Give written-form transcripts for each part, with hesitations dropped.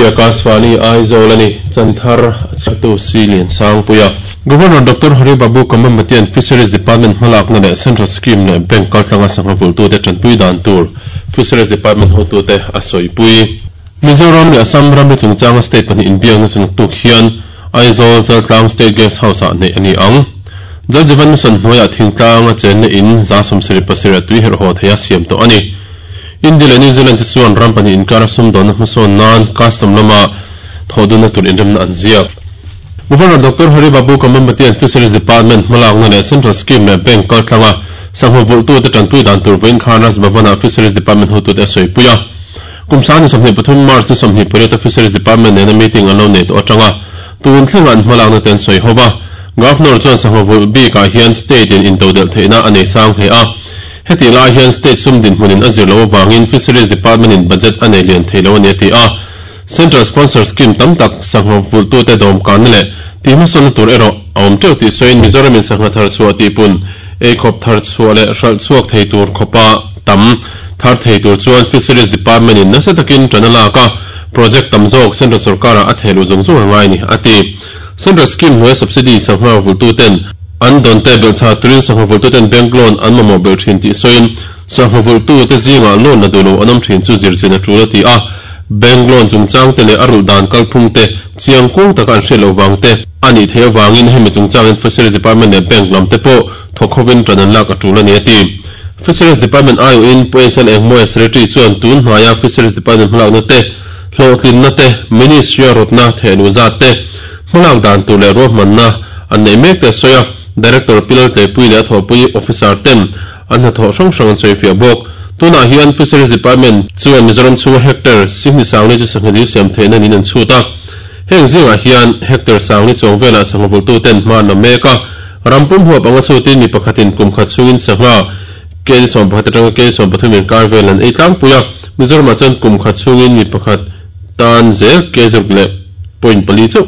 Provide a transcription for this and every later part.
Akashvani Aizawl a ni. Chanthar a chhiartu Si Liansangpuia. Governor Doctor Hari Babu Kambhampatian Fisheries Department hmalakna leh Central Scheme leh Bank kaltlanga sangha vulhtute tanpui dan tur Fisheries Department hotute a sawipui. Mizoram leh Assam ramri chungchanga state pahnih inbiakna chu naktuk hian Aizawl Chaltlang State Guest House-ah neih a ni ang. Jal Jeevan Mission hnuaiah thingtlanga chenna in 77% a tui herh haw theia siam tawh a ni. India leh New Zealand te chuan ram pahnih inkara sumdawnna hmasawn nan custom lama thawhdunna tur inremna an ziak. Governor Doctor Hari Babu Kambhampatian Fisheries Department hmalakna leh Central Scheme leh Bank kaltlanga sangha vulhtute tanpui dan tur vawiin khan Raj Bhavan-ah Fisheries Department hotute a sawipui a. Kum 2023 March ni 28 a Fisheries Department nena meeting an lo nei tawh atanga tun thlengah an hmalakna te an sawi ho va. Governor chuan sangha vulh bikah hian state in intodelh theihna a nei sang hle a. Hetih lai hian state sum dinhmunin a zir loh avangin Fisheries Department in budget a nei lian thei lo a ni a ti a. Central Sponsor Scheme tam tak sangha vulhtute dawmkanna leh tihhmasawnna tur erawh a awm teuh tih sawiin Mizoramin sangha thar chhuah tihpun, eikhawp thar chhuah leh hralh chhuak thei tur khawpa tam thar thei tur chuan Fisheries Department in nasa takin ṭan a lak a, project tam zawk Central sorkarah a thehluh zung zung a ngai a ni, a ti. Central Scheme hnuaia subsidy sangha vulhtuten an dawn te belhchhah turin sangha vulhtuten bank loan an mamawh belh thin tih sawiin sangha vulhtute zingah loan la duh lo an awm thin chu zirchin a tul a ti a. Bank loan chungchang te leh a rulh dan kalphung te chiang kung taka an hriat loh vang te a nih theih avangin hemi chungchangin Fisheries Department leh Bank lam te pawh thawk hovin ṭan an lak a tul a ni a ti. Fisheries Department aiawhin Pu SL Engmawia Secretary chuan tun hnaia Fisheries Department hmalakna te, hlawhtlinna te, Ministry a rawtna thehluh zat te, hmalak dan tur leh ruahmanna an neih mek te a sawi a. Director Pi Laltleipui leh a thawhpui Officer ten an hnathawh hrang hrang an sawifiah bawk. Tunah hian Fisheries Department chuan Mizoram chhunga hectare sihni sangli chu sangha dil siam theihna niin an chhut a. Heng zingah hian hectare sangli chuang velah sangha vulhtuten hma an la mek a. Ram pum huap anga chhutin mi pakhatin kum khat chhungin sangha kg 11 atanga kg 13 inkar vel an ei tlangpui a, Mizoramah chuan kum khat chhungin mi pakhat tan zel kg ruk leh point pali chauh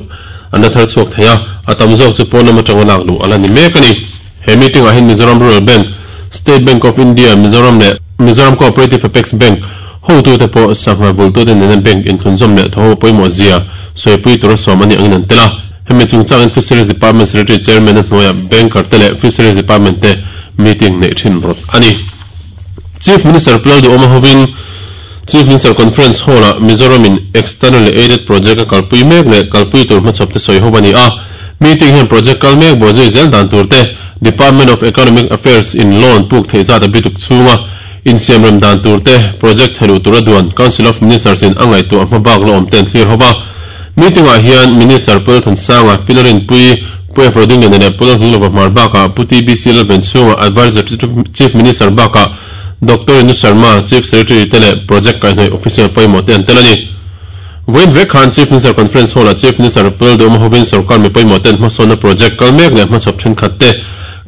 an la thar chhuak thei a, a tam zawk chu pawn lam atanga lak luh a la ni mek a ni. He meeting ah hian Mizoram Rural Bank, State Bank of India, Mizoram leh Mizoram Cooperative Apex Bank hotute pawh sangha vultute nena bank inthlunzawm leh thawhho pawimawh zia sawipui tura sawm a nih angin an tel a. Hemi chungchangin Fisheries Department Secretary Chairman a hnuaiah Banker te leh Fisheries Department te meeting neih thin rawt a ni. Chief Minister Pu Lalduhawma hovin Chief Minister Conference Hall-ah Mizoram in Externally Aided Project a kalpui mek leh kalpui tur hmachhawp te sawi ho a ni a. Meeting hian project kal mek bawhzui zel dan tur te, Department of Economic Affairs in loan puk theih zat a bituk chhunga insiamrem dan tur te, project theluh tura duan Council of Ministers in a ngaihtuah hmabak la awm te an thlir ho va. Meeting ah hian Minister Pu Lalthansanga, Pi Larinpui, Pu F Rodingliana leh Pu Lalnghilova hmar bakah Pu TBC Lalvenchhunga, Adviser to Chief Minister bakah Doctor Inu Sharma, Chief Secretary te leh Project kaihhnawih Official pawimawh te an tel a ni. Vawiin vek khan Chief Minister Conference Hall ah Chief Minister Pu Lalduhawma hovin sorkar mi pawimawh ten hmasawnna project kal mek leh hmachhawp thenkhat te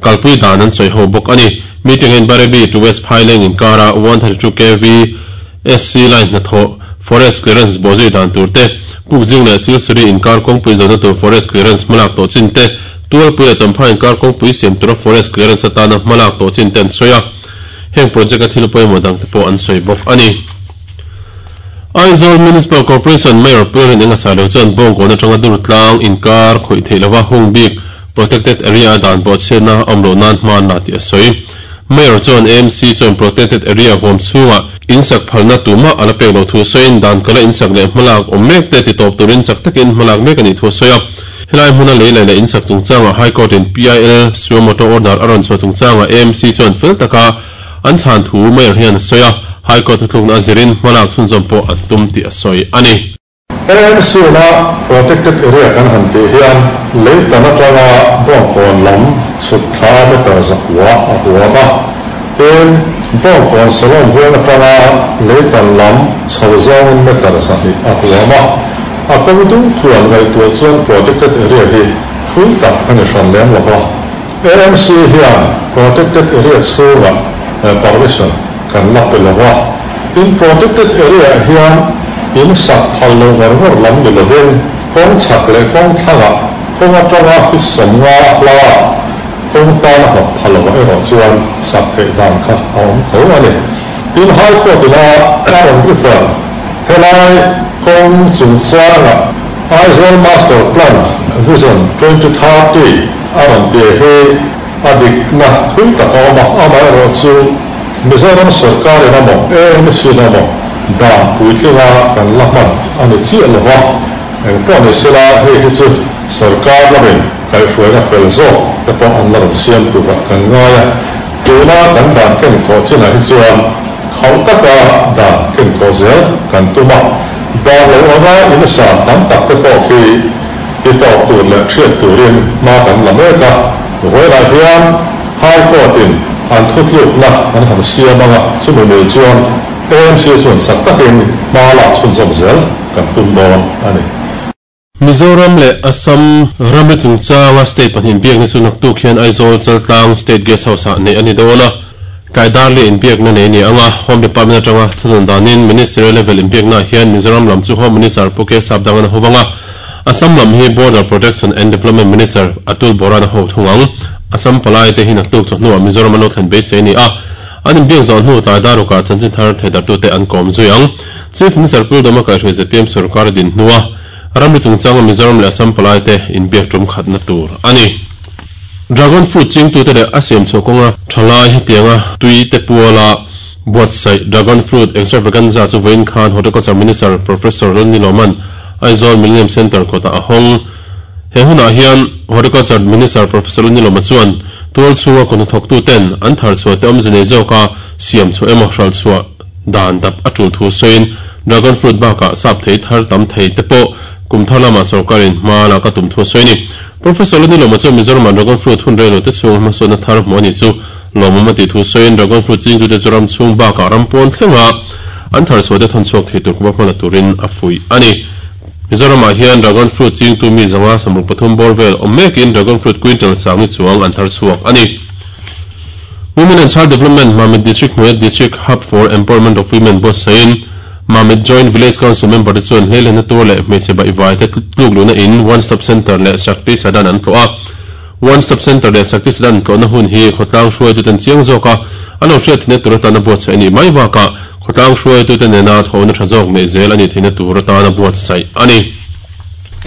kalpui dan an sawi ho bawk a ni. Meeting ah hian Bairabi to West Phaileng inkara 132 kv SC line hnathawh, Forest Clearance bawhzui dan tur te, Pukzing leh Silsuri inkar kawngpui zawhna tur Forest Clearance hmalak tawh chin te, Tualpui leh Champha inkar kawngpui siam tura Forest Clearance atana hmalak tawh chin te an sawi a. Heng project a thil pawimawh dang te pawh an sawi bawk a ni. Aizawl Municipal Corporation Mayor Pu Rin Engasalo chuan Bawngkawn atanga Durtlang inkar khawih theih lova hung bik Protected Area a dan bawhchhiatna a awm loh nan hma an la tih a sawi. Mayor chuan AMC chuan Protected Area huam chhungah insak phalna tumah a la pek loh thu sawiin dan kala insak leh hmalak awm mek te titawp turin chak takin hmalak mek a nih thu a sawi a. Helai hmuna lei leh leh insak chungchangah High Court in PIL Suo Moto Order a rawn chhuah chungchangah AMC chuan fel taka an chhan thu Mayor hian a sawi a, High Court thuthlukna a zirin hmalak chhunzawm pawh an tum tih a sawi a ni. AMC-na Protected Area kan han tih hian leitan atanga Bawngkawn lam chhuk thla meter zakua a huam a, tin, Bawngkawn Salon veng atanga leitan lam chho zawngin meter 200 a huam a. A kawng dung tluan ngaihtuah chuan Protected Area hi thui tak a ni hran lem lo va. AMC hian Protected Area chhungah permission kan la pe lo va. Tin, Protected Area-ah hian in sak phal lo ngawr ngawr lam ni lovin kawng chhak leh kawng thlangah kawng atanga feet 50 hlaah kawng tana hnawk pha lovah erawh chuan sak theih dan kha a awm tho a ni. Tin, High Court ina a rawn refer helai. kawng chungchanga Aizawl Master Plan Vision 2030 a rawn tih hi a dikna thui tak a awm a, amaherawhchu Mizoram sawrkarin emaw AMC-in emaw dan puitlinga kan la hman a ni chiah lo va, engpawh ni sela hei hi chu sawrkar lamin kaihhruaina fel zawk te pawh an la rawn siam turah kan ngai a, tuna kan dan kenkawh chinah hi chuan Khauh taka dan kenkawh zel kan tum a, dan lo anga insa tam tak te pawh khi ti tawk tur leh hriat turin hma kan la mek a. Vawiinah hian High Court in an thutlukna an han siam anga chumi mil chuan AMC chuan chak takin hma lak chhunzawm zel kan tum dawn a ni. Mizoram leh Assam ramri chungchanga state pahnih inbiakna chu naktuk hian Aizawl Chaltlang State Guest House-ah neih a ni dawn a. Tlaidarli inbiakna nei a ni ang a, Home Department atanga thunawn danin Ministerial level inbiaknaah hian Mizoram lam chu Home Minister Pu K Sapdang an a ho vang a, Assam lam hi Border Protection and Development Minister Atul Bora-an a ho thung ang. Assam palai te hi naktuk chawhnuah Mizoram an lo thlen beisei a ni a, an inbiak zawh hnu tlaidar rukah chanchin thar theidartute an kawm zui ang. Chief Minister Pu Doma kaihhruai zpm sorkar a din hnua ramri chungchanga Mizoram leh Assam palaite inbiak tum khatna tur a ni. Dragon fruit chingtute leh a siam chhuah kawnga thalai hetianga tui te puala buatsaih Dragon Fruit Extravaganza chu vawiin khan Horticulture Minister Professor Lalniloman Aizawl Millennium Centre kawtah a hawng. He hunah hian Horticulture Minister Professor Lalniloma chuan tual chhunga kawhnathawktuten an thar chhuah te awmze nei zawka siam chhuah emaw hralh chhuah Dan dap a tul thu sawiin Dragon Fruit bakah sap thei thar tam thei te pawh kum thar lamah sorkarin hma lak a tum thu a sawi a ni. Professor Lanilawma chuan Mizoramah Dragon Fruit hun rei lo te chhung hmasawnna thar hmuh a nih chu lawmawm a tih thu sawiin Dragon Fruit chingtute chu ram chhung bakah ram pawn thlenga an thar chhuah te thawn chhuak thei tur khawpa hmala turin a fuih a ni. Mizoramah hian Dragon Fruit chingtu mi zanga 33 bawr vel awm mekin Dragon Fruit quintal sangni chuang an thar chhuak a ni. Women and Child Development Mamit District hnuaia District Hub for Empowerment of Women buatsahin Mamit Joint Village Council member te chuan hleilehna tur leh hmeichhe baihvai te tluk luhna in One Stop Centre leh Shakti Sadan an tlawh a. One Stop Centre leh Shakti Sadan tlawhna hun hi khawtlang hruaituten chiang zawka an lo hriat theihna tur atana buatsaih a nih mai bakah khawtlang hruaitute nena thawhna tha zawk neih zel a nih theihna tur atana buatsaih a ni.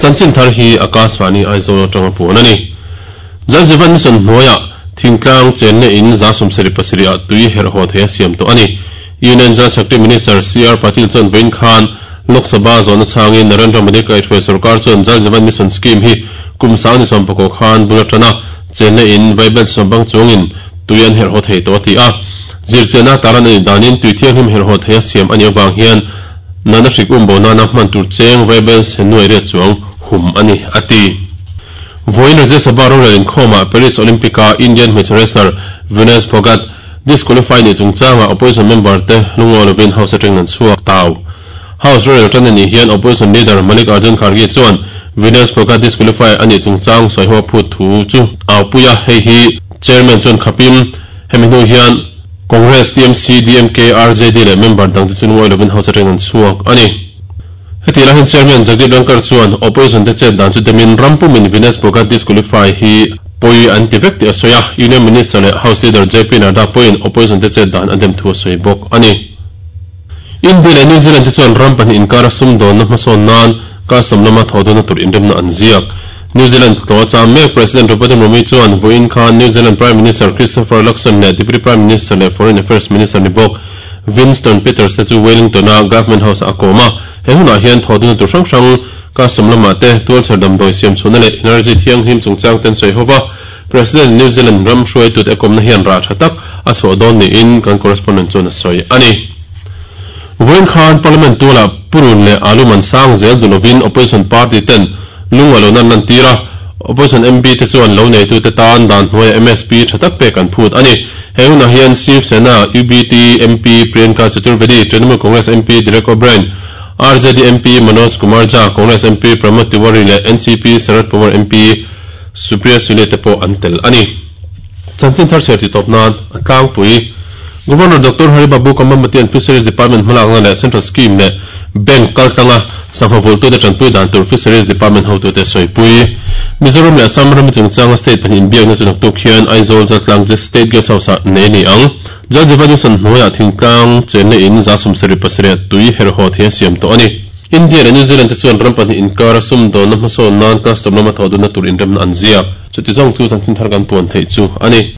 Chanchin thar hi Akashvani Aizawl atanga puan a ni. Jal Jeevan Mission hnuaiah thingtlang chenna in 77 ah tui herh haw thei a siam tawh a ni. Union Jal Shakti Minister CR Patil chuan vawiin khan Lok Sabha zawhna chhangin Narendra Modi kaihhruai sorkar chuan Jal Jeevan Mission scheme hi kum 19 khan bul atana chenna in vaibel sawmbang chungin tui an herh haw thei tawh a ti a. Zirchianna taran a nih danin tui thianghlim herh haw thei a siam a nih avang hian nana hrik um bo nana hman tur cheng vaibel sen nuai riat chuang hum a ni, a ti. Vawiin Rajya Sabha rorel inkhawmah Paris Olympic-a Indian hmeichhe wrestler Vinesh Phogat disqualify nih chungchangah opposition member te lungawi lovin House atangin an chhuak tau. House rorel tan anih hian opposition leader Mallikarjun Kharge chuan Vinesh Phogat disqualify anih chungchang sawiho a phut thu chu aupui a, hei hi Chairman chuan khapim hemi hnu hian Congress, TMC, DMK, RJD leh member dangte chu lungawi lovin House atangin an chhuak a ni. Heti lai hian Chairman Jagdeep Dhankhar chuan opposition te chet dan chu demin ram pumin Vinesh Phogat disqualify hi pawi an ti vek tih a sawi a, Union Minister leh House Leader JP Nadda pawhin opposition te chet dan a dem thu a sawi bawk a ni. India leh New Zealand te chuan ram pahnih inkara sumdawnna hmasawn nan custom lama thawhdawna tur inremna an ziak. New Zealand tlawh a cham mek President Draupadi Murmu chuan vawiin khan New Zealand Prime Minister Christopher Luxon leh Deputy Prime Minister leh Foreign Affairs Minister ni bawk Winston Peters te chu Wellington-a Government House-ah a kawm a, he hunah hian thawhduna tur hrang hrang, custom lamah te, tualchher damdawi siam chhuahna leh energy thianghlim chungchang te an sawi ho va. President New Zealand ram hruaitute a kawmna hian rah tha tak a chhuah dawn niin kan correspondent chuan a sawi a ni. Vawiin khan Parliament tualah Purun leh Alu man sang zel duh lovin Opposition party ten lungaih lohna an lantir a, Opposition MP te chuan lo neitute tan dan hnuaiah MSP tha tak pek an phut a ni. He hunah hian Shiv Sena, UBT, MP Priyanka Chaturvedi, Trinamool Congress MP Derek O'Brien, RJD MP Manoj Kumar Jha, Congress MP Pramod Tiwari leh NCP Sharad Pawar MP Supriya Sule te pawh an tel a ni. Chanchin thar chhiar tih tawp nan a tlangpui. Governor Doctor Hari Babu Kambhampatian Fisheries Department hmalakna leh Central Scheme leh Bank kaltlanga sangha vulhtute tanpui dan tur Fisheries Department hotute sawipui. Mizoram leh Assam rami chungchanga state pahnih inbiakna chu naktuk hian Aizawl Zaltlang State Guest House-ah nei a ni ang. Jal Jeevan Mission hnuaiah thingtlang chenna in 77 tui herh haw thei a siam tawh a ni. India leh New Zealand te chuan ram pahnih inkara sumdawnna hmasawn nan custom lama thawh dunna tur inremna an ziak. Chuti zawng chu chanchin thar kan puan theih chu a ni.